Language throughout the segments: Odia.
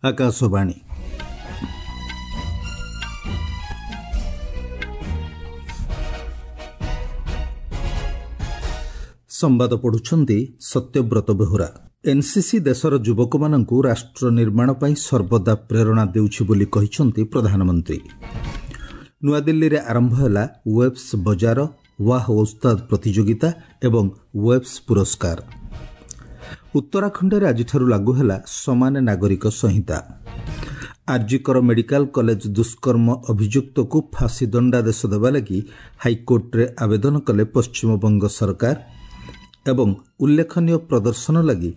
ଆକାଶବାଣୀ। ସମ୍ବାଦ ପଢୁଛନ୍ତି ସତ୍ୟବ୍ରତ ବେହୁରା। ଏନ୍ସିସି ଦେଶର ଯୁବକମାନଙ୍କୁ ରାଷ୍ଟ୍ର ନିର୍ମାଣ ପାଇଁ ସର୍ବଦା ପ୍ରେରଣା ଦେଉଛି ବୋଲି କହିଛନ୍ତି ପ୍ରଧାନମନ୍ତ୍ରୀ। ନୂଆଦିଲ୍ଲୀରେ ଆରମ୍ଭ ହେଲା ୱେବ୍ସ ବଜାର ୱାହ ଓସ୍ତାଦ ପ୍ରତିଯୋଗିତା ଏବଂ ୱେବ୍ସ ପୁରସ୍କାର। ଉତ୍ତରାଖଣ୍ଡରେ ଆଜିଠାରୁ ଲାଗୁ ହେଲା ସମାନ ନାଗରିକ ସଂହିତା। ଆର୍ଜିକର ମେଡିକାଲ କଲେଜ ଦୁଷ୍କର୍ମ ଅଭିଯୁକ୍ତକୁ ଫାଶୀ ଦଣ୍ଡାଦେଶ ଦେବା ଲାଗି ହାଇକୋର୍ଟରେ ଆବେଦନ କଲେ ପଶ୍ଚିମବଙ୍ଗ ସରକାର। ଏବଂ ଉଲ୍ଲେଖନୀୟ ପ୍ରଦର୍ଶନ ଲାଗି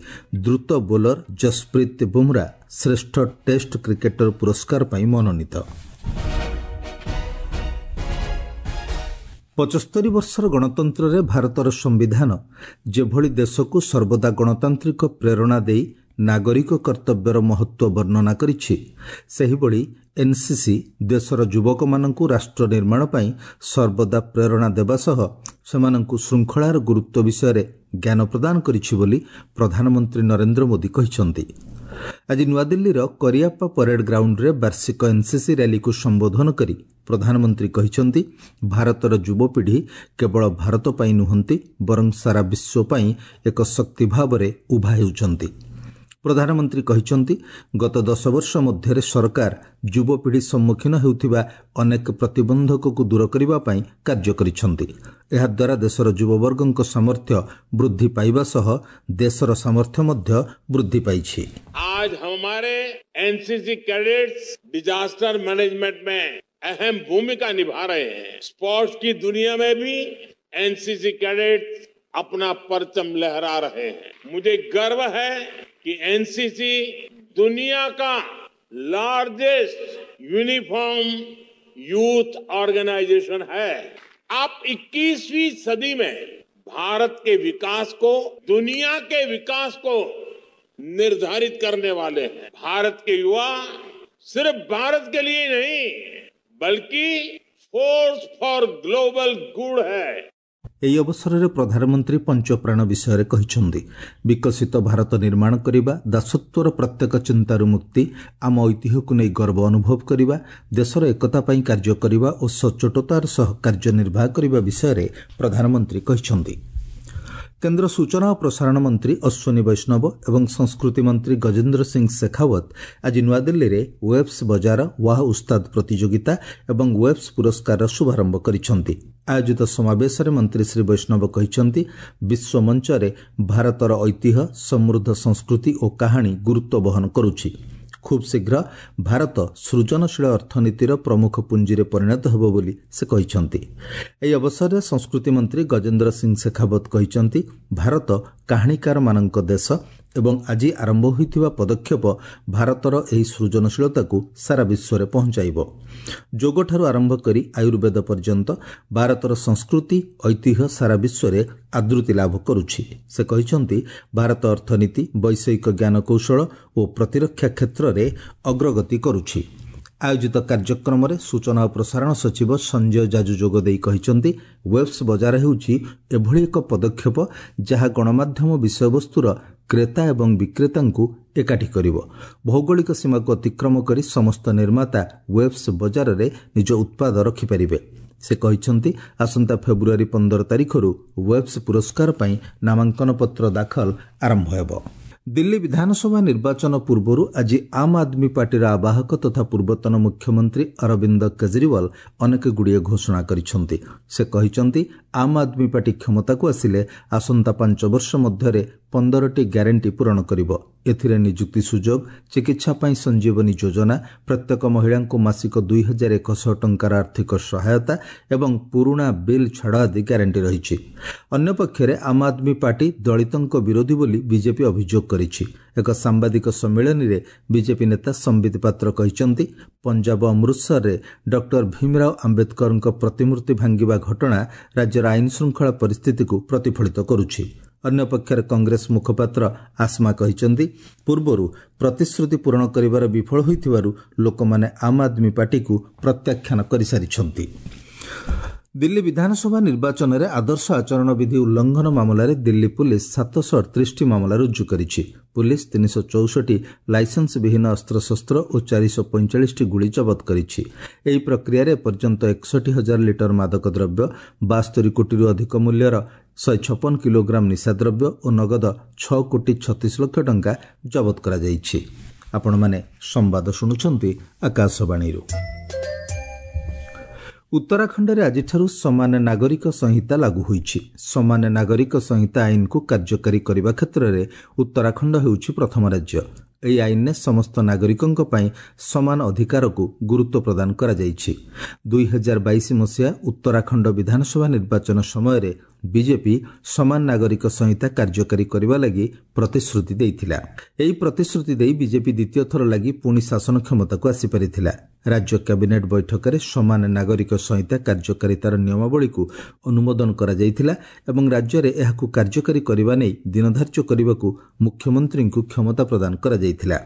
ଦ୍ରୁତ ବୋଲର ଜସପ୍ରୀତ ବୁମ୍ରା ଶ୍ରେଷ୍ଠ ଟେଷ୍ଟ କ୍ରିକେଟର ପୁରସ୍କାର ପାଇଁ ମନୋନୀତ। 75 ବର୍ଷର ଗଣତନ୍ତ୍ରରେ ଭାରତର ସମ୍ବିଧାନ ଯେଭଳି ଦେଶକୁ ସର୍ବଦା ଗଣତାନ୍ତ୍ରିକ ପ୍ରେରଣା ଦେଇ ନାଗରିକ କର୍ତ୍ତବ୍ୟର ମହତ୍ତ୍ୱ ବର୍ଣ୍ଣନା କରିଛି, ସେହିଭଳି ଏନ୍ସିସି ଦେଶର ଯୁବକମାନଙ୍କୁ ରାଷ୍ଟ୍ର ନିର୍ମାଣ ପାଇଁ ସର୍ବଦା ପ୍ରେରଣା ଦେବା ସହ ସେମାନଙ୍କୁ ଶୃଙ୍ଖଳାର ଗୁରୁତ୍ୱ ବିଷୟରେ ଜ୍ଞାନ ପ୍ରଦାନ କରିଛି ବୋଲି ପ୍ରଧାନମନ୍ତ୍ରୀ ନରେନ୍ଦ୍ର ମୋଦି କହିଛନ୍ତି। ଆଜି ନୂଆଦିଲ୍ଲୀର କରିଆପ୍ପା ପରେଡ୍ ଗ୍ରାଉଣ୍ଡରେ ବାର୍ଷିକ ଏନ୍ସିସି ର୍ୟାଲିକୁ ସମ୍ବୋଧନ କରି ପ୍ରଧାନମନ୍ତ୍ରୀ କହିଛନ୍ତି, ଭାରତର ଯୁବପିଢ଼ି କେବଳ ଭାରତ ପାଇଁ ନୁହନ୍ତି ବରଂ ସାରା ବିଶ୍ୱ ପାଇଁ ଏକ ଶକ୍ତି ଭାବରେ ଉଭା ହେଉଛନ୍ତି। ପ୍ରଧାନମନ୍ତ୍ରୀ କହିଛନ୍ତି, ଗତ 10 ବର୍ଷ ମଧ୍ୟରେ ସରକାର ଯୁବପିଢ଼ି ସମ୍ମୁଖୀନ ହେଉଥିବା ଅନେକ ପ୍ରତିବନ୍ଧକକୁ ଦୂର କରିବା ପାଇଁ କାର୍ଯ୍ୟ କରିଛନ୍ତି। ଏହାଦ୍ୱାରା ଦେଶର ଯୁବବର୍ଗଙ୍କ ସାମର୍ଥ୍ୟ ବୃଦ୍ଧି ପାଇବା ସହ ଦେଶର ସାମର୍ଥ୍ୟ ମଧ୍ୟ ବୃଦ୍ଧି ପାଇଛି। आज हमारे एनसीसी कैडेट्स डिजास्टर मैनेजमेंट में अहम भूमिका निभा रहे हैं। स्पोर्ट्स की दुनिया में भी एनसीसी कैडेट्स अपना परचम लहरा रहे हैं। मुझे गर्व है कि एनसीसी दुनिया का लार्जेस्ट यूनिफॉर्म यूथ ऑर्गेनाइजेशन है। आप 21वीं सदी में भारत के विकास को, दुनिया के विकास को निर्धारित करने वाले हैं। भारत के युवा सिर्फ भारत के लिए नहीं बल्कि फोर्स फॉर ग्लोबल गुड है। ଏହି ଅବସରରେ ପ୍ରଧାନମନ୍ତ୍ରୀ ପଞ୍ଚପ୍ରାଣ ବିଷୟରେ କହିଛନ୍ତି। ବିକଶିତ ଭାରତ ନିର୍ମାଣ କରିବା, ଦାସତ୍ୱର ପ୍ରତ୍ୟେକ ଚିନ୍ତାରୁ ମୁକ୍ତି, ଆମ ଐତିହ୍ୟକୁ ନେଇ ଗର୍ବ ଅନୁଭବ କରିବା, ଦେଶର ଏକତା ପାଇଁ କାର୍ଯ୍ୟ କରିବା ଓ ସଚ୍ଚୋଟତାର ସହ କାର୍ଯ୍ୟ ନିର୍ବାହ କରିବା ବିଷୟରେ ପ୍ରଧାନମନ୍ତ୍ରୀ କହିଛନ୍ତି। କେନ୍ଦ୍ର ସୂଚନା ଓ ପ୍ରସାରଣ ମନ୍ତ୍ରୀ ଅଶ୍ୱିନୀ ବୈଷ୍ଣବ ଏବଂ ସଂସ୍କୃତି ମନ୍ତ୍ରୀ ଗଜେନ୍ଦ୍ର ସିଂ ଶେଖାୱତ ଆଜି ନୂଆଦିଲ୍ଲୀରେ ୱେବ୍ସ ବଜାର ୱାହ ଉସ୍ତାଦ ପ୍ରତିଯୋଗିତା ଏବଂ ୱେବ୍ସ ପୁରସ୍କାରର ଶୁଭାରମ୍ଭ କରିଛନ୍ତି। ଆୟୋଜିତ ସମାବେଶରେ ମନ୍ତ୍ରୀ ଶ୍ରୀ ବୈଷ୍ଣବ କହିଛନ୍ତି, ବିଶ୍ୱ ମଞ୍ଚରେ ଭାରତର ଐତିହ୍ୟ, ସମୃଦ୍ଧ ସଂସ୍କୃତି ଓ କାହାଣୀ ଗୁରୁତ୍ୱ ବହନ କରୁଛି। ଖୁବ୍ ଶୀଘ୍ର ଭାରତ ସୃଜନଶୀଳ ଅର୍ଥନୀତିର ପ୍ରମୁଖ ପୁଞ୍ଜିରେ ପରିଣତ ହେବ ବୋଲି ସେ କହିଛନ୍ତି। ଏହି ଅବସରରେ ସଂସ୍କୃତି ମନ୍ତ୍ରୀ ଗଜେନ୍ଦ୍ର ସିଂ ଶେଖାବତ କହିଛନ୍ତି, ଭାରତ କାହାଣୀକାରମାନଙ୍କ ଦେଶ ଏବଂ ଆଜି ଆରମ୍ଭ ହୋଇଥିବା ପଦକ୍ଷେପ ଭାରତର ଏହି ସୃଜନଶୀଳତାକୁ ସାରା ବିଶ୍ୱରେ ପହଞ୍ଚାଇବ। ଯୋଗଠାରୁ ଆରମ୍ଭ କରି ଆୟୁର୍ବେଦ ପର୍ଯ୍ୟନ୍ତ ଭାରତର ସଂସ୍କୃତି, ଐତିହ୍ୟ ସାରା ବିଶ୍ୱରେ ଆଦୃତି ଲାଭ କରୁଛି। ସେ କହିଛନ୍ତି, ଭାରତ ଅର୍ଥନୀତି, ବୈଷୟିକ ଜ୍ଞାନକୌଶଳ ଓ ପ୍ରତିରକ୍ଷା କ୍ଷେତ୍ରରେ ଅଗ୍ରଗତି କରୁଛି। ଆୟୋଜିତ କାର୍ଯ୍ୟକ୍ରମରେ ସୂଚନା ଓ ପ୍ରସାରଣ ସଚିବ ସଞ୍ଜୟ ଜାଜୁ ଯୋଗଦେଇ କହିଛନ୍ତି, ୱେବ୍ସ ବଜାର ହେଉଛି ଏଭଳି ଏକ ପଦକ୍ଷେପ ଯାହା ଗଣମାଧ୍ୟମ ବିଷୟବସ୍ତୁର କ୍ରେତା ଏବଂ ବିକ୍ରେତାଙ୍କୁ ଏକାଠି କରିବ। ଭୌଗୋଳିକ ସୀମାକୁ ଅତିକ୍ରମ କରି ସମସ୍ତ ନିର୍ମାତା ୱେବ୍ସ ବଜାରରେ ନିଜ ଉତ୍ପାଦ ରଖିପାରିବେ। ସେ କହିଛନ୍ତି, ଆସନ୍ତା ଫେବୃଆରୀ 15 ତାରିଖରୁ ୱେବ୍ସ ପୁରସ୍କାର ପାଇଁ ନାମାଙ୍କନ ପତ୍ର ଦାଖଲ ଆରମ୍ଭ ହେବ। ଦିଲ୍ଲୀ ବିଧାନସଭା ନିର୍ବାଚନ ପୂର୍ବରୁ ଆଜି ଆମ୍ ଆଦମୀ ପାର୍ଟିର ଆବାହକ ତଥା ପୂର୍ବତନ ମୁଖ୍ୟମନ୍ତ୍ରୀ ଅରବିନ୍ଦ କେଜରିୱାଲ ଅନେକଗୁଡ଼ିଏ ଘୋଷଣା କରିଛନ୍ତି। ସେ କହିଛନ୍ତି, ଆମ୍ ଆଦମୀ ପାର୍ଟି କ୍ଷମତାକୁ ଆସିଲେ ଆସନ୍ତା 5 ବର୍ଷ ମଧ୍ୟରେ 15ଟି ଗ୍ୟାରେଣ୍ଟି ପୂରଣ କରିବ। ଏଥିରେ ନିଯୁକ୍ତି ସୁଯୋଗ, ଚିକିତ୍ସା ପାଇଁ ସଞ୍ଜୀବନୀ ଯୋଜନା, ପ୍ରତ୍ୟେକ ମହିଳାଙ୍କୁ ମାସିକ 2100 ଟଙ୍କାର ଆର୍ଥିକ ସହାୟତା ଏବଂ ପୁରୁଣା ବିଲ୍ ଛାଡ଼ ଆଦି ଗ୍ୟାରେଣ୍ଟି ରହିଛି। ଅନ୍ୟପକ୍ଷରେ ଆମ୍ ଆଦମୀ ପାର୍ଟି ଦଳିତଙ୍କ ବିରୋଧୀ ବୋଲି ବିଜେପି ଅଭିଯୋଗ କରିଛି। ଏକ ସାମ୍ବାଦିକ ସମ୍ମିଳନୀରେ ବିଜେପି ନେତା ସମ୍ବିତ ପାତ୍ର କହିଛନ୍ତି, ପଞ୍ଜାବ ଅମୃତସରରେ ଡକ୍ଟର ଭୀମରାଓ ଆମ୍ବେଦକରଙ୍କ ପ୍ରତିମୂର୍ତ୍ତି ଭାଙ୍ଗିବା ଘଟଣା ରାଜ୍ୟର ଆଇନ ଶୃଙ୍ଖଳା ପରିସ୍ଥିତିକୁ ପ୍ରତିଫଳିତ କରୁଛି। ଅନ୍ୟପକ୍ଷରେ କଂଗ୍ରେସ ମୁଖପାତ୍ର ଆସ୍ମା କହିଛନ୍ତି, ପୂର୍ବରୁ ପ୍ରତିଶ୍ରୁତି ପୂରଣ କରିବାର ବିଫଳ ହୋଇଥିବାରୁ ଲୋକମାନେ ଆମ୍ ଆଦମୀ ପାର୍ଟିକୁ ପ୍ରତ୍ୟାଖ୍ୟାନ କରିସାରିଛନ୍ତି। ଦିଲ୍ଲୀ ବିଧାନସଭା ନିର୍ବାଚନରେ ଆଦର୍ଶ ଆଚରଣ ବିଧି ଉଲ୍ଲଂଘନ ମାମଲାରେ ଦିଲ୍ଲୀ ପୁଲିସ୍ 738ଟି ମାମଲା ରୁଜୁ କରିଛି। ପୁଲିସ୍ 364 ଲାଇସେନ୍ସ ବିହୀନ ଅସ୍ତ୍ରଶସ୍ତ୍ର ଓ 445ଟି ଗୁଳି ଜବତ କରିଛି। ଏହି ପ୍ରକ୍ରିୟାରେ ଏପର୍ଯ୍ୟନ୍ତ 61,000 ଲିଟର ମାଦକ ଦ୍ରବ୍ୟ, 72 କୋଟିରୁ ଅଧିକ ମୂଲ୍ୟର 156 କିଲୋଗ୍ରାମ ନିଶାଦ୍ରବ୍ୟ ଓ ନଗଦ 6 କୋଟି 36 ଲକ୍ଷ ଟଙ୍କା ଜବତ କରାଯାଇଛି। ଆପଣମାନେ ସମ୍ବାଦ ଶୁଣୁଛନ୍ତି ଆକାଶବାଣୀରୁ। ଉତ୍ତରାଖଣ୍ଡରେ ଆଜିଠାରୁ ସମାନ ନାଗରିକ ସଂହିତା ଲାଗୁ ହୋଇଛି। ସମାନ ନାଗରିକ ସଂହିତା ଆଇନକୁ କାର୍ଯ୍ୟକାରୀ କରିବା କ୍ଷେତ୍ରରେ ଉତ୍ତରାଖଣ୍ଡ ହେଉଛି ପ୍ରଥମ ରାଜ୍ୟ। ଏହି ଆଇନରେ ସମସ୍ତ ନାଗରିକଙ୍କ ପାଇଁ ସମାନ ଅଧିକାରକୁ ଗୁରୁତ୍ୱ ପ୍ରଦାନ କରାଯାଇଛି। 2022 ମସିହା ଉତ୍ତରାଖଣ୍ଡ ବିଧାନସଭା ନିର୍ବାଚନ ସମୟରେ ବିଜେପି ସମାନ ନାଗରିକ ସଂହିତା କାର୍ଯ୍ୟକାରୀ କରିବା ଲାଗି ପ୍ରତିଶ୍ରୁତି ଦେଇଥିଲା। ଏହି ପ୍ରତିଶ୍ରୁତି ଦେଇ ବିଜେପି ଦ୍ୱିତୀୟ ଥର ଲାଗି ପୁଣି ଶାସନ କ୍ଷମତାକୁ ଆସିପାରିଥିଲା। ରାଜ୍ୟ କ୍ୟାବିନେଟ୍ ବୈଠକରେ ସମାନ ନାଗରିକ ସଂହିତା କାର୍ଯ୍ୟକାରିତାର ନିୟମାବଳୀକୁ ଅନୁମୋଦନ କରାଯାଇଥିଲା ଏବଂ ରାଜ୍ୟରେ ଏହାକୁ କାର୍ଯ୍ୟକାରୀ କରିବା ନେଇ ଦିନଧାର୍ଯ୍ୟ କରିବାକୁ ମୁଖ୍ୟମନ୍ତ୍ରୀଙ୍କୁ କ୍ଷମତା ପ୍ରଦାନ କରାଯାଇଥିଲା।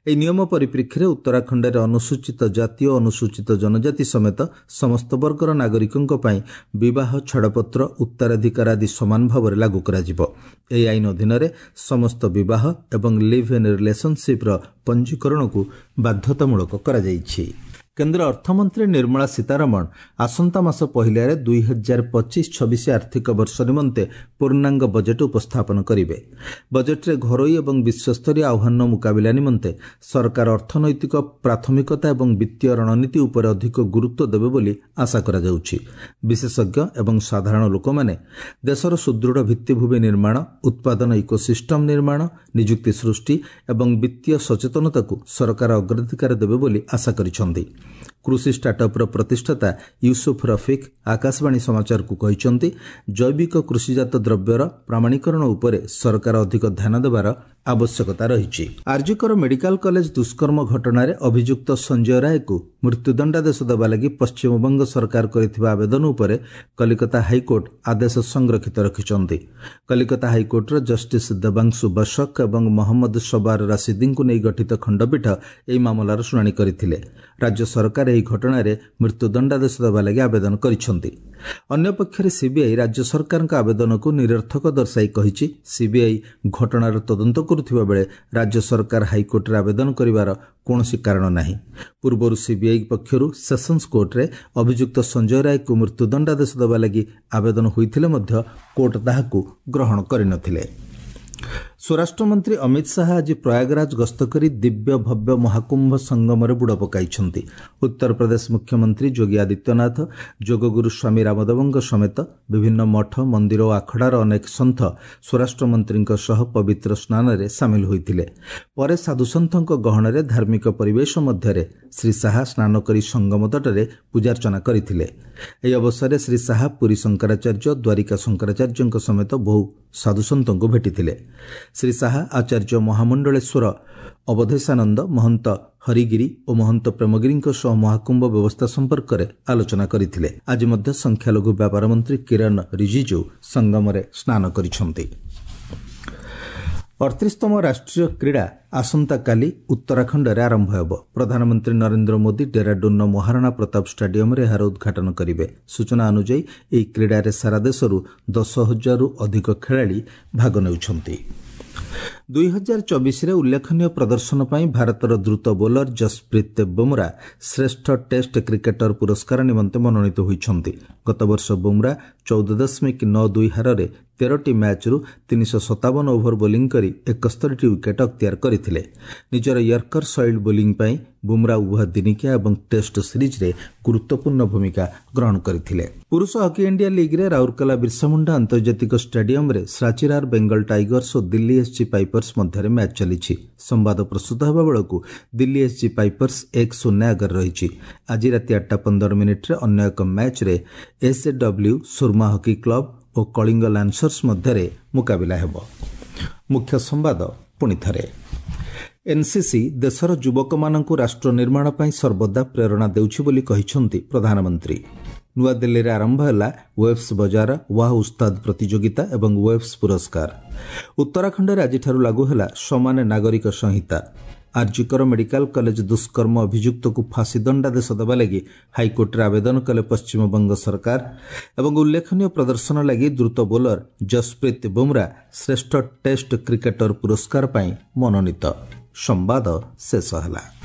ଏହି ନିୟମ ପରିପ୍ରେକ୍ଷୀରେ ଉତ୍ତରାଖଣ୍ଡରେ ଅନୁସୂଚିତ ଜାତି ଓ ଅନୁସୂଚିତ ଜନଜାତି ସମେତ ସମସ୍ତ ବର୍ଗର ନାଗରିକଙ୍କ ପାଇଁ ବିବାହ, ଛାଡ଼ପତ୍ର, ଉତ୍ତରାଧିକାର ଆଦି ସମାନ ଭାବରେ ଲାଗୁ କରାଯିବ। ଏହି ଆଇନ ଅଧୀନରେ ସମସ୍ତ ବିବାହ ଏବଂ ଲିଭ୍ ଇନ୍ ରିଲେସନସିପ୍ର ପଞ୍ଜୀକରଣକୁ ବାଧ୍ୟତାମୂଳକ କରାଯାଇଛି। କେନ୍ଦ୍ର ଅର୍ଥମନ୍ତ୍ରୀ ନିର୍ମଳା ସୀତାରମଣ ଆସନ୍ତା ମାସ ପହିଲାରେ 2025-26 ଆର୍ଥିକ ବର୍ଷ ନିମନ୍ତେ ପୂର୍ଣ୍ଣାଙ୍ଗ ବଜେଟ୍ ଉପସ୍ଥାପନ କରିବେ। ବଜେଟ୍ରେ ଘରୋଇ ଏବଂ ବିଶ୍ୱସ୍ତରୀୟ ଆହ୍ୱାନର ମୁକାବିଲା ନିମନ୍ତେ ସରକାର ଅର୍ଥନୈତିକ ପ୍ରାଥମିକତା ଏବଂ ବିତ୍ତୀୟ ରଣନୀତି ଉପରେ ଅଧିକ ଗୁରୁତ୍ୱ ଦେବେ ବୋଲି ଆଶା କରାଯାଉଛି। ବିଶେଷଜ୍ଞ ଏବଂ ସାଧାରଣ ଲୋକମାନେ ଦେଶର ସୁଦୃଢ଼ ଭିତ୍ତିଭୂମି ନିର୍ମାଣ, ଉତ୍ପାଦନ ଇକୋସିଷ୍ଟମ୍ ନିର୍ମାଣ, ନିଯୁକ୍ତି ସୃଷ୍ଟି ଏବଂ ବିତ୍ତୀୟ ସଚେତନତାକୁ ସରକାର ଅଗ୍ରାଧିକାର ଦେବେ ବୋଲି ଆଶା କରିଛନ୍ତି। କୃଷି ଷ୍ଟାର୍ଟଅପ୍ର ପ୍ରତିଷ୍ଠାତା ୟୁସୁଫ ରଫିକ୍ ଆକାଶବାଣୀ ସମାଚାରକୁ କହିଛନ୍ତି, ଜୈବିକ କୃଷିଜାତ ଦ୍ରବ୍ୟର ପ୍ରାମାଣୀକରଣ ଉପରେ ସରକାର ଅଧିକ ଧ୍ୟାନ ଦେବାର ଆବଶ୍ୟକତା ରହିଛି। ଆରଜିକର ମେଡିକାଲ କଲେଜ ଦୁଷ୍କର୍ମ ଘଟଣାରେ ଅଭିଯୁକ୍ତ ସଞ୍ଜୟ ରାୟକୁ ମୃତ୍ୟୁଦଣ୍ଡାଦେଶ ଦେବା ଲାଗି ପଶ୍ଚିମବଙ୍ଗ ସରକାର କରିଥିବା ଆବେଦନ ଉପରେ କଲିକତା ହାଇକୋର୍ଟ ଆଦେଶ ସଂରକ୍ଷିତ ରଖିଛନ୍ତି। କଲିକତା ହାଇକୋର୍ଟର ଜଷ୍ଟିସ୍ ଦେବାଂଶୁ ବଶକ ଏବଂ ମହମ୍ମଦ ସବାର ରାସିଦିଙ୍କୁ ନେଇ ଗଠିତ ଖଣ୍ଡପୀଠ ଏହି ମାମଲାର ଶୁଣାଣି କରିଥିଲେ। ରାଜ୍ୟ ସରକାର ଏହି ଘଟଣାରେ ମୃତ୍ୟୁଦଣ୍ଡାଦେଶ ଦେବା ଲାଗି ଆବେଦନ କରିଛନ୍ତି। ଅନ୍ୟପକ୍ଷରେ ସିବିଆଇ ରାଜ୍ୟ ସରକାରଙ୍କ ଆବେଦନକୁ ନିରର୍ଥକ ଦର୍ଶାଇ କହିଛି, ସିବିଆଇ ଘଟଣାର ତଦନ୍ତ କରୁଥିବା ବେଳେ ରାଜ୍ୟ ସରକାର ହାଇକୋର୍ଟରେ ଆବେଦନ କରିବାର କୌଣସି କାରଣ ନାହିଁ। ପୂର୍ବରୁ ସିବିଆଇ ପକ୍ଷରୁ ସେସନ୍ସ କୋର୍ଟରେ ଅଭିଯୁକ୍ତ ସଞ୍ଜୟ ରାୟକୁ ମୃତ୍ୟୁଦଣ୍ଡାଦେଶ ଦେବା ଲାଗି ଆବେଦନ ହୋଇଥିଲେ ମଧ୍ୟ କୋର୍ଟ ତାହାକୁ ଗ୍ରହଣ କରିନଥିଲେ। ସ୍ୱରାଷ୍ଟ୍ରମନ୍ତ୍ରୀ ଅମିତ ଶାହା ଆଜି ପ୍ରୟାଗରାଜ ଗସ୍ତ କରି ଦିବ୍ୟ ଭବ୍ୟ ମହାକୁମ୍ଭ ସଙ୍ଗମରେ ବୁଡ଼ ପକାଇଛନ୍ତି। ଉତ୍ତରପ୍ରଦେଶ ମୁଖ୍ୟମନ୍ତ୍ରୀ ଯୋଗୀ ଆଦିତ୍ୟନାଥ, ଯୋଗଗୁରୁ ସ୍ୱାମୀ ରାମଦେବଙ୍କ ସମେତ ବିଭିନ୍ନ ମଠ, ମନ୍ଦିର ଓ ଆଖଡ଼ାର ଅନେକ ସନ୍ଥ ସ୍ୱରାଷ୍ଟ୍ରମନ୍ତ୍ରୀଙ୍କ ସହ ପବିତ୍ର ସ୍ନାନରେ ସାମିଲ ହୋଇଥିଲେ। ପରେ ସାଧୁସନ୍ଥଙ୍କ ଗହଣରେ ଧାର୍ମିକ ପରିବେଶ ମଧ୍ୟରେ ଶ୍ରୀ ଶାହା ସ୍ନାନ କରି ସଙ୍ଗମ ତଟରେ ପୂଜାର୍ଚ୍ଚନା କରିଥିଲେ। ଏହି ଅବସରରେ ଶ୍ରୀ ଶାହା ପୁରୀ ଶଙ୍କରାଚାର୍ଯ୍ୟ, ଦ୍ୱାରିକା ଶଙ୍କରାଚାର୍ଯ୍ୟଙ୍କ ସମେତ ବହୁ ସାଧୁସନ୍ଥଙ୍କୁ ଭେଟିଥିଲେ। ଶ୍ରୀ ଶାହା ଆଚାର୍ଯ୍ୟ ମହାମଣ୍ଡଳେଶ୍ୱର ଅବଧେଶାନନ୍ଦ, ମହନ୍ତ ହରିଗିରି ଓ ମହନ୍ତ ପ୍ରେମଗିରିଙ୍କ ସହ ମହାକୁମ୍ଭ ବ୍ୟବସ୍ଥା ସମ୍ପର୍କରେ ଆଲୋଚନା କରିଥିଲେ। ଆଜି ମଧ୍ୟ ସଂଖ୍ୟାଲଘୁ ବ୍ୟାପାର ମନ୍ତ୍ରୀ କିରଣ ରିଜିଜୁ ସଙ୍ଗମରେ ସ୍ନାନ କରିଛନ୍ତି। 38ତମ ରାଷ୍ଟ୍ରୀୟ କ୍ରୀଡ଼ା ଆସନ୍ତାକାଲି ଉତ୍ତରାଖଣ୍ଡରେ ଆରମ୍ଭ ହେବ। ପ୍ରଧାନମନ୍ତ୍ରୀ ନରେନ୍ଦ୍ର ମୋଦି ଡେରାଡୁନ୍ର ମହାରାଣା ପ୍ରତାପ ଷ୍ଟାଡିୟମରେ ଏହାର ଉଦ୍ଘାଟନ କରିବେ। ସୂଚନା ଅନୁଯାୟୀ ଏହି କ୍ରୀଡ଼ାରେ ସାରା ଦେଶରୁ 10,000ରୁ ଅଧିକ ଖେଳାଳି ଭାଗ ନେଉଛନ୍ତି। 2024ରେ ଉଲ୍ଲେଖନୀୟ ପ୍ରଦର୍ଶନ ପାଇଁ ଭାରତର ଦ୍ରୁତ ବୋଲର ଜସପ୍ରୀତ ବୁମରା ଶ୍ରେଷ୍ଠ ଟେଷ୍ଟ କ୍ରିକେଟର ପୁରସ୍କାର ନିମନ୍ତେ ମନୋନୀତ ହୋଇଛନ୍ତି। ଗତବର୍ଷ ବୁମରା 14.92 ହାରରେ 13ଟି ମ୍ୟାଚ୍ରୁ 357 ଓଭର ବୋଲିଂ କରି 71ଟି ୱିକେଟ୍ ଅକ୍ତିଆର କରିଥିଲେ। ନିଜର ୟର୍କର ଶୈଳୀ ବୋଲିଂ ପାଇଁ ବୁମରା ଉଭୟ ଦିନିକିଆ ଏବଂ ଟେଷ୍ଟ ସିରିଜ୍ରେ ଗୁରୁତ୍ୱପୂର୍ଣ୍ଣ ଭୂମିକା ଗ୍ରହଣ କରିଥିଲେ। ପୁରୁଷ ହକି ଇଣ୍ଡିଆ ଲିଗ୍ରେ ରାଉରକେଲା ବିର୍ସାମୁଣ୍ଡା ଆନ୍ତର୍ଜାତିକ ଷ୍ଟାଡିୟମରେ ସାଚିରାର ବେଙ୍ଗଲ ଟାଇଗର୍ସ ଓ ଦିଲ୍ଲୀ ଏସ୍ଜି ପାଇପର୍ସ ମଧ୍ୟରେ ମ୍ୟାଚ୍ ଚାଲିଛି। ସମ୍ବାଦ ପ୍ରସ୍ତୁତ ହେବା ବେଳକୁ ଦିଲ୍ଲୀ ଏସ୍ଜି ପାଇପର୍ସ 1-0 ଆଗରେ ରହିଛି। ଆଜି ରାତି 8:15 ଅନ୍ୟ ଏକ ମ୍ୟାଚ୍ରେ ଏସ୍ଏଡବ୍ଲ୍ୟୁ ସୁରମା ହକି କ୍ଲବ ଓ କଳିଙ୍ଗ ଲାନ୍ସର୍ସ ମଧ୍ୟରେ ମୁକାବିଲା ହେବ। ମୁଖ୍ୟ ସମ୍ବାଦ ପୁଣି ଥରେ। ଏନ୍ସିସି ଦେଶର ଯୁବକମାନଙ୍କୁ ରାଷ୍ଟ୍ର ନିର୍ମାଣ ପାଇଁ ସର୍ବଦା ପ୍ରେରଣା ଦେଉଛି ବୋଲି କହିଛନ୍ତି ପ୍ରଧାନମନ୍ତ୍ରୀ। ନୂଆଦିଲ୍ଲୀରେ ଆରମ୍ଭ ହେଲା ୱେବ୍ସ ବଜାର ୱାହ ଉସ୍ତାଦ ପ୍ରତିଯୋଗିତା ଏବଂ ୱେବ୍ସ ପୁରସ୍କାର। ଉତ୍ତରାଖଣ୍ଡରେ ଆଜିଠାରୁ ଲାଗୁ ହେଲା ସମାନ ନାଗରିକ ସଂହିତା। ଆର୍ଜିକର ମେଡିକାଲ କଲେଜ ଦୁଷ୍କର୍ମ ଅଭିଯୁକ୍ତକୁ ଫାଶୀ ଦଣ୍ଡାଦେଶ ଦେବା ଲାଗି ହାଇକୋର୍ଟରେ ଆବେଦନ କଲେ ପଶ୍ଚିମବଙ୍ଗ ସରକାର। ଏବଂ ଉଲ୍ଲେଖନୀୟ ପ୍ରଦର୍ଶନ ଲାଗି ଦ୍ରୁତ ବୋଲର ଜସପ୍ରୀତ ବୁମ୍ରା ଶ୍ରେଷ୍ଠ ଟେଷ୍ଟ କ୍ରିକେଟର ପୁରସ୍କାର ପାଇଁ ମନୋନୀତ। ସମ୍ବାଦ ଶେଷ ହେଲା।